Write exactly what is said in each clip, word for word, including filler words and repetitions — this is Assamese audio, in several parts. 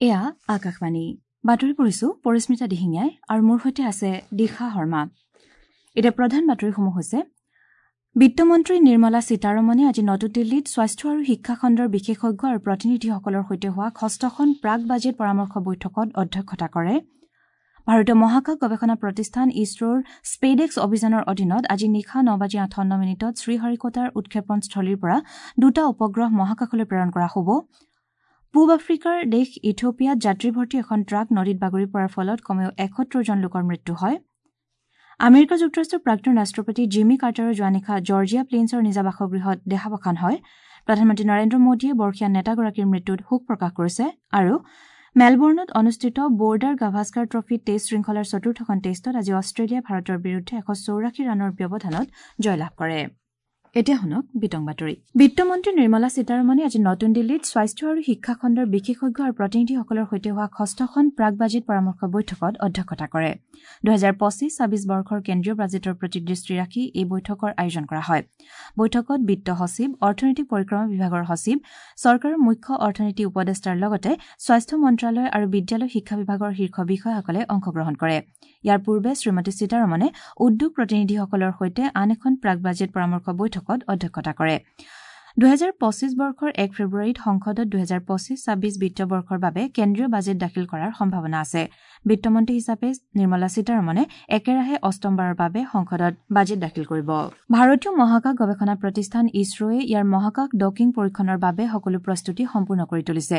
এয়া আকাশবাণী বাতৰি পঢ়িছো পৰিস্মিতা দিহিঙীয়াই আৰু মোৰ সৈতে আছে দিশা শৰ্মা। এতিয়া প্ৰধান বাতৰিসমূহ হৈছে বিত্তমন্ত্ৰী নিৰ্মলা সীতাৰমণে আজি নতুন দিল্লীত স্বাস্থ্য আৰু শিক্ষা খণ্ডৰ বিশেষজ্ঞ আৰু প্ৰতিনিধিসকলৰ সৈতে হোৱা ষষ্ঠখন প্ৰাক বাজেট পৰামৰ্শ বৈঠকত অধ্যক্ষতা কৰে। ভাৰতীয় মহাকাশ গৱেষণা প্ৰতিষ্ঠান ইছৰোৰ স্পেডেক্স অভিযানৰ অধীনত আজি নিশা ন বাজি আঠাৱন্ন মিনিটত শ্ৰীহৰিকোটাৰ উৎক্ষেপণস্থলীৰ পৰা দুটা উপগ্ৰহ মহাকাশলৈ প্ৰেৰণ কৰা হ'ব। পূব আফ্ৰিকাৰ দেশ ইথিওপিয়াত যাত্ৰীভৰ্তি এখন ট্ৰাক নদীত বাগৰি পৰাৰ ফলত কমেও এসত্তৰজন লোকৰ মৃত্যু হয়। আমেৰিকা যুক্তৰাষ্ট্ৰৰ প্ৰাক্তন ৰাষ্ট্ৰপতি জিমি কাৰ্টাৰৰ যোৱা নিশা জৰ্জিয়া প্লেইনছৰ নিজা বাসগৃহত দেহাৱসান হয়। প্ৰধানমন্ত্ৰী নৰেন্দ্ৰ মোদীয়ে বৰ্ষীয়ান নেতাগৰাকীৰ মৃত্যুত শোক প্ৰকাশ কৰিছে। আৰু মেলবৰ্ণত অনুষ্ঠিত বৰ্ডাৰ গাভাস্কাৰ ট্ৰফী টেষ্ট শৃংখলাৰ চতুৰ্থখন টেষ্টত আজি অষ্ট্ৰেলিয়াই ভাৰতৰ বিৰুদ্ধে এশ চৌৰাশী ৰানৰ ব্যৱধানত জয়লাভ কৰে। এতিয়া শুনক বিতং বাতৰি। বিত্তমন্ত্ৰী নিৰ্মলা সীতাৰমণে আজি নতুন দিল্লীত স্বাস্থ্য আৰু শিক্ষা খণ্ডৰ বিশেষজ্ঞ আৰু প্ৰতিনিধিসকলৰ সৈতে হোৱা ষষ্ঠখন প্ৰাক বাজেট পৰামৰ্শ বৈঠকত অধ্যক্ষতা কৰে। দুহেজাৰ পঁচিছ ছাব্বিছ বৰ্ষৰ কেন্দ্ৰীয় বাজেটৰ প্ৰতি দৃষ্টি ৰাখি এই বৈঠকৰ আয়োজন কৰা হয়। বৈঠকত বিত্ত সচিব, অৰ্থনৈতিক পৰিক্ৰমা বিভাগৰ সচিব, চৰকাৰৰ মুখ্য অৰ্থনীতি উপদেষ্টাৰ লগতে স্বাস্থ্য মন্ত্ৰালয় আৰু বিদ্যালয় শিক্ষা বিভাগৰ শীৰ্ষ বিষয়াসকলে অংশগ্ৰহণ কৰে। ইয়াৰ পূৰ্বে শ্ৰীমতী সীতাৰমণে উদ্যোগ প্ৰতিনিধিসকলৰ সৈতে আন এখন প্ৰাক বাজেট পৰামৰ্শ বৈঠকত অধ্যক্ষতা কৰে। দুহেজাৰ পঁচিছ বৰ্ষৰ এক ফেব্ৰুৱাৰীত সংসদত দুহেজাৰ পঁচিছ ছাব্বিছ বিত্তীয় বৰ্ষৰ বাবে কেন্দ্ৰীয় বাজেট দাখিল কৰাৰ সম্ভাৱনা আছে। বিত্তমন্ত্ৰী হিচাপে নিৰ্মলা সীতাৰমণে একেৰাহে অষ্টমবাৰৰ বাবে সংসদত বাজেট দাখিল কৰিব। ভাৰতীয় মহাকাশ গৱেষণা প্ৰতিষ্ঠান ইছৰোৱে ইয়াৰ মহাকাশ ডকিং পৰীক্ষণৰ বাবে সকলো প্ৰস্তুতি সম্পূৰ্ণ কৰি তুলিছে।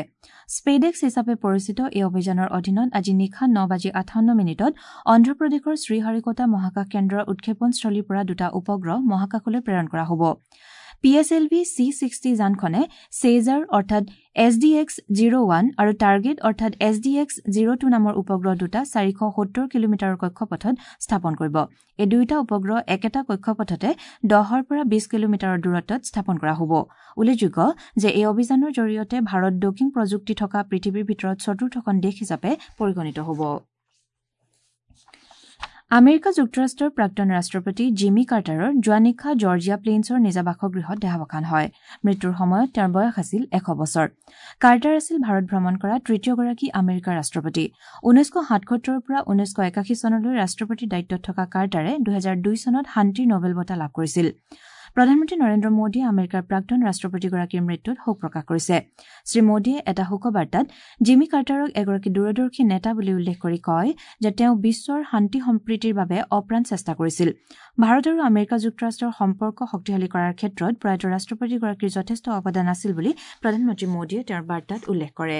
স্পেডেক্স হিচাপে পৰিচিত এই অভিযানৰ অধীনত আজি নিশা ন বাজি আঠাৱন্ন মিনিটত অন্ধ্ৰপ্ৰদেশৰ শ্ৰীহৰিকোটা মহাকাশ কেন্দ্ৰৰ উৎক্ষেপণস্থলীৰ পৰা দুটা উপগ্ৰহ মহাকাশলৈ প্ৰেৰণ কৰা হ'ব। P S L V C sixty যানখনে Cesar অৰ্থাৎ S D X zero one আৰু টাৰ্গেট অৰ্থাৎ S D X zero two নামৰ উপগ্ৰহ দুটা চাৰিশ সত্তৰ কিলোমিটাৰৰ কক্ষপথত স্থাপন কৰিব। এই দুয়োটা উপগ্ৰহ একেটা কক্ষপথতে দহৰ পৰা বিশ কিলোমিটাৰৰ দূৰত্বত স্থাপন কৰা হ'ব। উল্লেখযোগ্য যে এই অভিযানৰ জৰিয়তে ভাৰত ডকিং প্ৰযুক্তি থকা পৃথিৱীৰ ভিতৰত চতুৰ্থখন দেশ হিচাপে পৰিগণিত হ'ব। আমেৰিকা যুক্তৰাষ্ট্ৰৰ প্ৰাক্তন ৰাষ্ট্ৰপতি জিমি কাৰ্টাৰৰ যোৱা নিশা জৰ্জিয়া প্লেইনছৰ নিজা বাসগৃহত দেহাৱসান হয়। মৃত্যুৰ সময়ত তেওঁৰ বয়স আছিল এশ বছৰ। কাৰ্টাৰ আছিল ভাৰত ভ্ৰমণ কৰা তৃতীয়গৰাকী আমেৰিকাৰ ৰাষ্ট্ৰপতি। ঊনৈছশ সাতসত্তৰৰ পৰা ঊনৈছশ একাশী চনলৈ ৰাষ্ট্ৰপতিৰ দায়িত্বত থকা কাৰ্টাৰে দুহেজাৰ দুই চনত শান্তিৰ নোবেল বঁটা লাভ কৰিছিল। প্ৰধানমন্ত্ৰী নৰেন্দ্ৰ মোদীয়ে আমেৰিকাৰ প্ৰাক্তন ৰাষ্ট্ৰপতিগৰাকীৰ মৃত্যুত শোক প্ৰকাশ কৰিছে। শ্ৰীমোদীয়ে এটা শোকবাৰ্তাত জিমি কাৰ্টাৰক এগৰাকী দূৰদৰ্শী নেতা বুলি উল্লেখ কৰি কয় যে তেওঁ বিশ্বৰ শান্তি সম্প্ৰীতিৰ বাবে অপ্ৰাণ চেষ্টা কৰিছিল। ভাৰত আৰু আমেৰিকা যুক্তৰাষ্ট্ৰৰ সম্পৰ্ক শক্তিশালী কৰাৰ ক্ষেত্ৰত প্ৰয়াত ৰাষ্ট্ৰপতিগৰাকীৰ যথেষ্ট অৱদান আছিল বুলি প্ৰধানমন্ত্ৰী মোদীয়ে তেওঁৰ বাৰ্তাত উল্লেখ কৰে।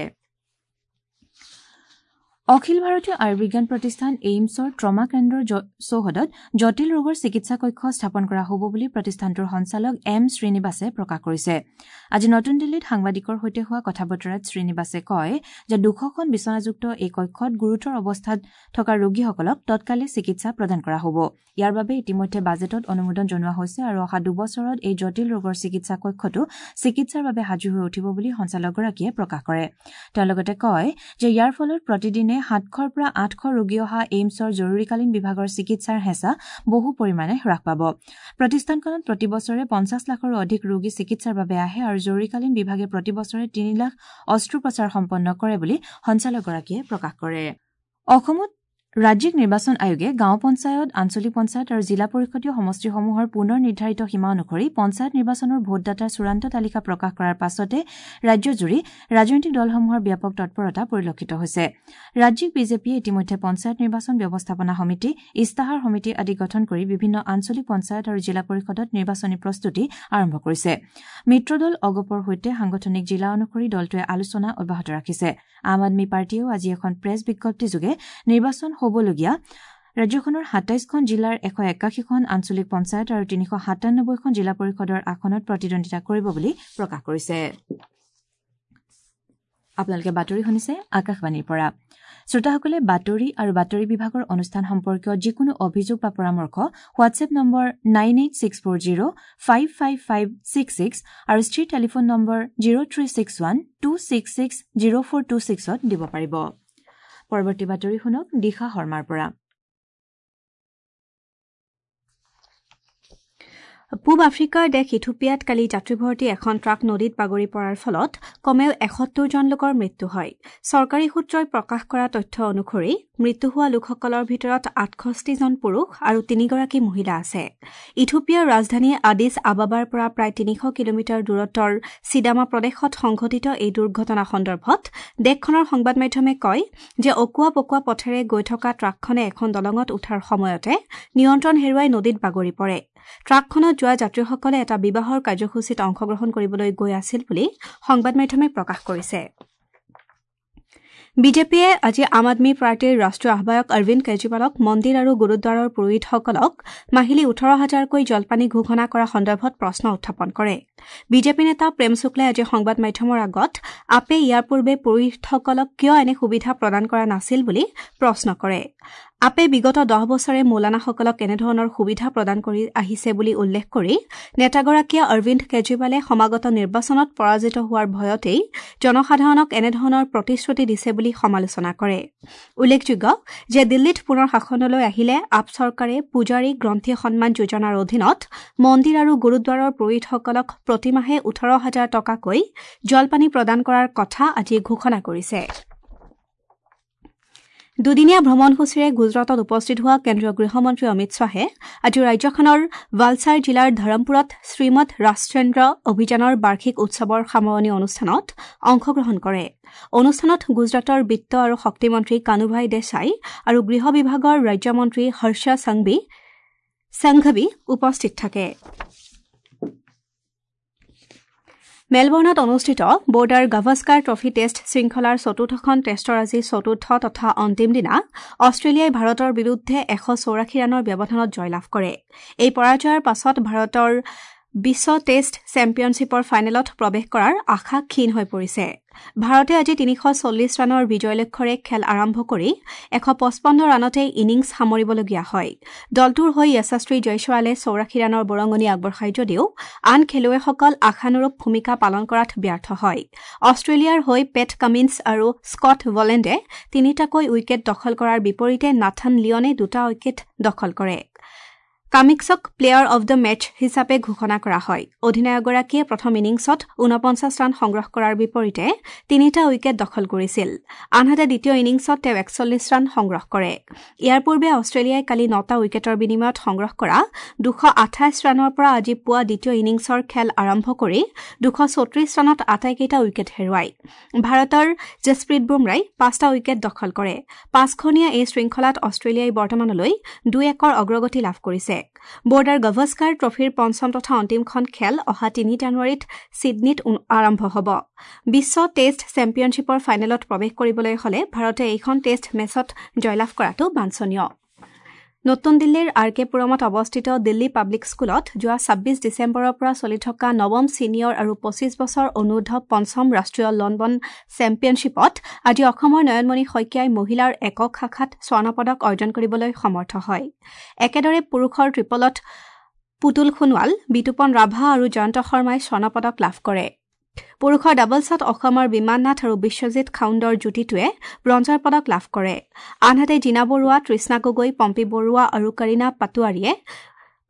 অখিল ভাৰতীয় আয়ুৰ্বিজ্ঞান প্ৰতিষ্ঠান এইমছৰ ট্ৰমা কেন্দ্ৰৰ চৌহদত জটিল ৰোগৰ চিকিৎসা কক্ষ স্থাপন কৰা হ'ব বুলি প্ৰতিষ্ঠানটোৰ সঞ্চালক এম শ্ৰীনিবাসে প্ৰকাশ কৰিছে। আজি নতুন দিল্লীত সাংবাদিকৰ সৈতে হোৱা কথা বতৰাত শ্ৰীনিবাসে কয় যে দুশখন বিচনাযুক্ত এই কক্ষত গুৰুতৰ অৱস্থাত থকা ৰোগীসকলক তৎকালে চিকিৎসা প্ৰদান কৰা হ'ব। ইয়াৰ বাবে ইতিমধ্যে বাজেটত অনুমোদন জনোৱা হৈছে আৰু অহা দুবছৰত এই জটিল ৰোগৰ চিকিৎসা কক্ষটো চিকিৎসাৰ বাবে সাজু হৈ উঠিব বুলি সঞ্চালকগৰাকীয়ে প্ৰকাশ কৰে। তেওঁ লগতে কয় যে ইয়াৰ ফলত প্ৰতিদিনে সাতশৰ পৰা আঠশ ৰোগী অহা এইমছৰ জৰুৰীকালীন বিভাগৰ চিকিৎসাৰ হেঁচা বহু পৰিমাণে হ্ৰাস পাব। প্ৰতিষ্ঠানখনত প্ৰতি বছৰে পঞ্চাছ লাখৰো অধিক ৰোগী চিকিৎসাৰ বাবে আহে আৰু জৰুৰীকালীন বিভাগে প্ৰতি বছৰে তিনি লাখ অস্ত্ৰোপচাৰ সম্পন্ন কৰে বুলি সঞ্চালকগৰাকীয়ে প্ৰকাশ কৰে। অসমত ৰাজ্যিক নিৰ্বাচন আয়োগে গাঁও পঞ্চায়ত, আঞ্চলিক পঞ্চায়ত আৰু জিলা পৰিষদীয় সমষ্টিসমূহৰ পুনৰ নিৰ্ধাৰিত সীমা অনুসৰি পঞ্চায়ত নিৰ্বাচনৰ ভোটদাতাৰ চূড়ান্ত তালিকা প্ৰকাশ কৰাৰ পাছতে ৰাজ্যজুৰি ৰাজনৈতিক দলসমূহৰ ব্যাপক তৎপৰতা পৰিলক্ষিত হৈছে। ৰাজ্যিক বিজেপিয়ে ইতিমধ্যে পঞ্চায়ত নিৰ্বাচন ব্যৱস্থাপনা সমিতি, ইস্তাহাৰ সমিতি আদি গঠন কৰি বিভিন্ন আঞ্চলিক পঞ্চায়ত আৰু জিলা পৰিষদত নিৰ্বাচনী প্ৰস্তুতি আৰম্ভ কৰিছে। মিত্ৰদল অগপৰ সৈতে সাংগঠনিক জিলা অনুসৰি দলটোৱে আলোচনা অব্যাহত ৰাখিছে। আম আদমি পাৰ্টীয়েও আজি এখন প্ৰেছ বিজ্ঞপ্তিযোগে নিৰ্বাচন হ'বলগীয়া ৰাজ্যখনৰ সাতাইছখন জিলাৰ এশ একাশীখন আঞ্চলিক পঞ্চায়ত আৰু তিনিশ সাতানব্বৈখন জিলা পৰিষদৰ আসনত প্ৰতিদ্বন্দ্বিতা কৰিব বুলি প্ৰকাশ কৰিছে। আপোনালোকে বাতৰি শুনিছে আকাশবাণীৰ পৰা। শ্ৰোতাসকলে বাতৰি আৰু বাতৰি বিভাগৰ অনুষ্ঠান সম্পৰ্কীয় যিকোনো অভিযোগ বা পৰামৰ্শ WhatsApp number nine eight six four zero five five five six six আৰু স্থিৰ telephone number zero three six one two six six zero four two ছিক্সত দিব পাৰিব। পৰৱৰ্তী বাতৰি শুনক দিশা শৰ্মাৰ পৰা। পূব আফ্ৰিকাৰ দেশ ইথিওপিয়াত কালি যাত্ৰীভৰ্তি এখন ট্ৰাক নদীত বাগৰি পৰাৰ ফলত কমেও এসত্তৰজন লোকৰ মৃত্যু হয়। চৰকাৰী সূত্ৰই প্ৰকাশ কৰা তথ্য অনুসৰি মৃত্যু হোৱা লোকসকলৰ ভিতৰত আঠষষ্ঠিজন পুৰুষ আৰু তিনিগৰাকী মহিলা আছে। ইথিওপিয়াৰ ৰাজধানী আদিছ আবাবাৰ পৰা প্ৰায় তিনিশ কিলোমিটাৰ দূৰত্বৰ চিদামা প্ৰদেশত সংঘটিত এই দুৰ্ঘটনা সন্দৰ্ভত দেশখনৰ সংবাদ মাধ্যমে কয় যে অকোৱা পকোৱা পথেৰে গৈ থকা ট্ৰাকখনে এখন দলঙত উঠাৰ সময়তে নিয়ন্ত্ৰণ হেৰুৱাই নদীত বাগৰি পৰে। ট্ৰাকখনত যোৱা যাত্ৰীসকলে এটা বিবাহৰ কাৰ্যসূচীত অংশগ্ৰহণ কৰিবলৈ গৈ আছিল বুলি সংবাদ মাধ্যমে প্ৰকাশ কৰিছে। বিজেপিয়ে আজি আম আদমী পাৰ্টীৰ ৰাষ্ট্ৰীয় আহ্বায়ক অৰবিন্দ কেজৰিৱালক মন্দিৰ আৰু গুৰুদ্বাৰৰ পুৰোহিতসকলক মাহিলী ওঠৰ হাজাৰকৈ জলপানী ঘোষণা কৰা সন্দৰ্ভত প্ৰশ্ন উত্থাপন কৰে। বিজেপি নেতা প্ৰেম শুক্লাই আজি সংবাদ মাধ্যমৰ আগত আপে ইয়াৰ পূৰ্বে পুৰোহিতসকলক কিয় এনে সুবিধা প্ৰদান কৰা নাছিল বুলি প্ৰশ্ন কৰে। আপে বিগত দহ বছৰে মৌলানাসকলক এনেধৰণৰ সুবিধা প্ৰদান কৰি আহিছে বুলি উল্লেখ কৰি নেতাগৰাকীয়ে অৰবিন্দ কেজৰিৱালে সমাগত নিৰ্বাচনত পৰাজিত হোৱাৰ ভয়তেই জনসাধাৰণক এনেধৰণৰ প্ৰতিশ্ৰুতি দিছে বুলি সমালোচনা কৰে। উল্লেখযোগ্য যে দিল্লীত পুনৰ শাসনলৈ আহিলে আপ চৰকাৰে পূজাৰী গ্ৰন্থি সন্মান যোজনাৰ অধীনত মন্দিৰ আৰু গুৰুদ্বাৰৰ পুৰোহিতসকলক প্ৰতিমাহে ওঠৰ হাজাৰ টকাকৈ জলপানী প্ৰদান কৰাৰ কথা আজি ঘোষণা কৰিছে। দুদিনীয়া ভ্ৰমণসূচীৰে গুজৰাটত উপস্থিত হোৱা কেন্দ্ৰীয় গৃহমন্ত্ৰী অমিত শ্বাহে আজি ৰাজ্যখনৰ ভালছাৰ জিলাৰ ধৰমপুৰত শ্ৰীমদ ৰাজচন্দ্ৰ অভিযানৰ বাৰ্ষিক উৎসৱৰ সামৰণি অনুষ্ঠানত অংশগ্ৰহণ কৰে। অনুষ্ঠানত গুজৰাটৰ বিত্ত আৰু শক্তিমন্ত্ৰী কানুভাই দেশাই আৰু গৃহ বিভাগৰ ৰাজ্যমন্ত্ৰী হৰ্ষ সংঘৱী উপস্থিত থাকে। মেলবৰ্ণত অনুষ্ঠিত বৰ্ডাৰ গাভাস্কাৰ ট্ৰফী টেষ্ট শৃংখলাৰ চতুৰ্থখন টেষ্টৰ আজি চতুৰ্থ তথা অন্তিম দিনা অষ্ট্ৰেলিয়াই ভাৰতৰ বিৰুদ্ধে এশ চৌৰাশী ৰানৰ ব্যৱধানত জয়লাভ কৰে। এই পৰাজয়ৰ পাছত ভাৰতৰ বিশ্ব টেষ্ট চেম্পিয়নশ্বিপৰ ফাইনেলত প্ৰৱেশ কৰাৰ আশা ক্ষীণ হৈ পৰিছে। ভাৰতে আজি তিনিশ চল্লিছ ৰানৰ বিজয় লক্ষ্যৰে খেল আৰম্ভ কৰি এশ পঁচপন্ন ৰানতে ইনিংছ সামৰিবলগীয়া হয়। দলটোৰ হৈ যশস্বী জয়ছোৱালে চৌৰাশী ৰানৰ বৰঙণি আগবঢ়ায় যদিও আন খেলুৱৈসকল আশানুৰূপ ভূমিকা পালন কৰাত ব্যৰ্থ হয়। অষ্ট্ৰেলিয়াৰ হৈ পেট কামিন্স আৰু স্কট বলেণ্ডে তিনিটাকৈ উইকেট দখল কৰাৰ বিপৰীতে নাথান লিয়নে দুটা উইকেট দখল কৰে। কামিক্সক প্লেয়াৰ অৱ the match হিচাপে ঘোষণা কৰা হয়। অধিনায়কগৰাকীয়ে প্ৰথম ইনিংছত ঊনপঞ্চাছ ৰান সংগ্ৰহ কৰাৰ বিপৰীতে তিনিটা উইকেট দখল কৰিছিল। আনহাতে দ্বিতীয় ইনিংছত তেওঁ একচল্লিছ ৰান সংগ্ৰহ কৰে। ইয়াৰ পূৰ্বে অষ্ট্ৰেলিয়াই কালি নটা উইকেটৰ বিনিময়ত সংগ্ৰহ কৰা দুশ আঠাইছ ৰানৰ পৰা আজি পুৱা দ্বিতীয় ইনিংছৰ খেল আৰম্ভ কৰি দুশ চৌত্ৰিছ ৰানত আটাইকেইটা উইকেট হেৰুৱায়। ভাৰতৰ জছপ্ৰীত বুমৰাই পাঁচটা উইকেট দখল কৰে। পাঁচখনীয়া এই শৃংখলাত অষ্ট্ৰেলিয়াই বৰ্তমানলৈ দুই একৰ অগ্ৰগতি লাভ কৰিছে। বৰ্ডাৰ গাভাস্কাৰ ট্ৰফীৰ পঞ্চম তথা অন্তিমখন খেল অহা তিনি জানুৱাৰীত ছিডনীত আৰম্ভ হ'ব। বিশ্ব টেষ্ট চেম্পিয়নশ্বিপৰ ফাইনেলত প্ৰৱেশ কৰিবলৈ হলে ভাৰতে এইখন টেষ্ট মেচত জয়লাভ কৰাটো বাঞ্ছনীয়। নতুন দিল্লীৰ আৰ কে পুৰমত অৱস্থিত দিল্লী পাব্লিক স্কুলত যোৱা ছাব্বিছ ডিচেম্বৰৰ পৰা চলি থকা নৱম ছিনিয়ৰ আৰু পঁচিছ বছৰ অনুৰ্ধ পঞ্চম ৰাষ্ট্ৰীয় লনবন চেম্পিয়নশ্বিপত আজি অসমৰ নয়নমণি শইকীয়াই মহিলাৰ একক শাখাত স্বৰ্ণপদক অৰ্জন কৰিবলৈ সমৰ্থ হয়। একেদৰে পুৰুষৰ ট্ৰিপলত পুতুল সোণোৱাল, বিতুপন ৰাভা আৰু জয়ন্ত শৰ্মাই স্বৰ্ণপদক লাভ কৰে। পুৰুষৰ ডাবলছত অসমৰ বিমান নাথ আৰু বিশ্বজিৎ খাউণ্ডৰ যুটিটোৱে ব্ৰঞ্জৰ পদক লাভ কৰে। আনহাতে জীনা বৰুৱা, তৃষ্ণা গগৈ, পম্পী বৰুৱা আৰু কৰীণা পাটোৱাৰীয়ে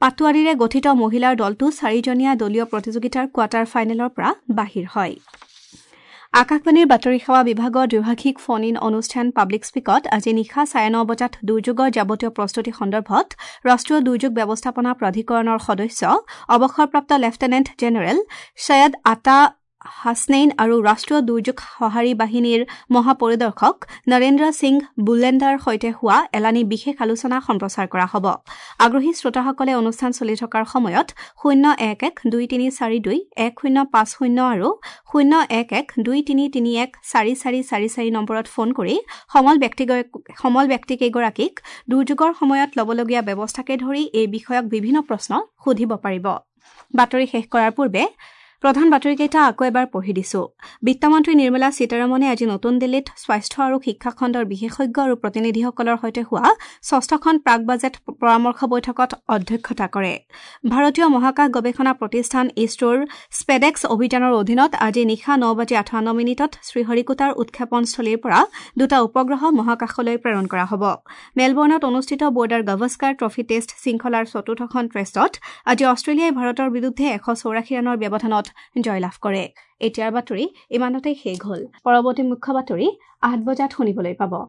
পাটোৱাৰীৰে গঠিত মহিলাৰ দলটো চাৰিজনীয়া দলীয় প্ৰতিযোগিতাৰ কোৱাৰ্টাৰ ফাইনেলৰ পৰা বাহিৰ হয়। আকাশবাণীৰ বাতৰি সেৱা বিভাগৰ দ্বিভাষিক ফোন ইন অনুষ্ঠান পাব্লিক স্পীকত আজি নিশা চাৰে ন বজাত দুৰ্যোগৰ যাৱতীয় প্ৰস্তুতি সন্দৰ্ভত ৰাষ্ট্ৰীয় দুৰ্যোগ ব্যৱস্থাপনা প্ৰাধিকৰণৰ সদস্য অৱসৰপ্ৰাপ্ত লেফটেনেণ্ট জেনেৰেল ছৈয়দ আতা হাছনেইন আৰু ৰাষ্ট্ৰীয় দুৰ্যোগ সঁহাৰি বাহিনীৰ মহাপৰিদৰ্শক নৰেন্দ্ৰ সিং বুলেণ্ডাৰ সৈতে হোৱা এলানি বিশেষ আলোচনা সম্প্ৰচাৰ কৰা হ'ব। আগ্ৰহী শ্ৰোতাসকলে অনুষ্ঠান চলি থকাৰ সময়ত শূন্য এক এক দুই তিনি চাৰি দুই এক শূন্য পাঁচ শূন্য আৰু শূন্য এক এক দুই তিনি তিনি এক চাৰি চাৰি চাৰি চাৰি নম্বৰত ফোন কৰি সমল সমল ব্যক্তিকেইগৰাকীক দুৰ্যোগৰ সময়ত ল'বলগীয়া ব্যৱস্থাকে ধৰি এই বিষয়ক বিভিন্ন প্ৰশ্ন সুধিব পাৰিব। বাতৰি শেষ কৰাৰ পূৰ্বে প্ৰধান বাতৰিকেইটা আকৌ এবাৰ পঢ়ি দিছো। বিত্তমন্ত্ৰী নিৰ্মলা সীতাৰমণে আজি নতুন দিল্লীত স্বাস্থ্য আৰু শিক্ষা খণ্ডৰ বিশেষজ্ঞ আৰু প্ৰতিনিধিসকলৰ সৈতে হোৱা ষষ্ঠখন প্ৰাক বাজেট পৰামৰ্শ বৈঠকত অধ্যক্ষতা কৰে। ভাৰতীয় মহাকাশ গৱেষণা প্ৰতিষ্ঠান ইছৰোৰ স্পেডেক্স অভিযানৰ অধীনত আজি নিশা ন বাজি আঠাৱন্ন মিনিটত শ্ৰীহৰিকোটাৰ উৎক্ষেপণস্থলীৰ পৰা দুটা উপগ্ৰহ মহাকাশলৈ প্ৰেৰণ কৰা হ'ব। মেলবৰ্ণত অনুষ্ঠিত বৰ্ডাৰ গাভাস্কাৰ ট্ৰফী টেষ্ট শৃংখলাৰ চতুৰ্থখন টেষ্টত আজি অষ্ট্ৰেলিয়াই ভাৰতৰ বিৰুদ্ধে এশ চৌৰাশী ৰানৰ ব্যৱধানত জয়লাভ কৰে। এতিয়াৰ বাতৰি ইমানতে শেষ হ'ল। পৰৱৰ্তী মুখ্য বাতৰি আঠ বজাত শুনিবলৈ পাব।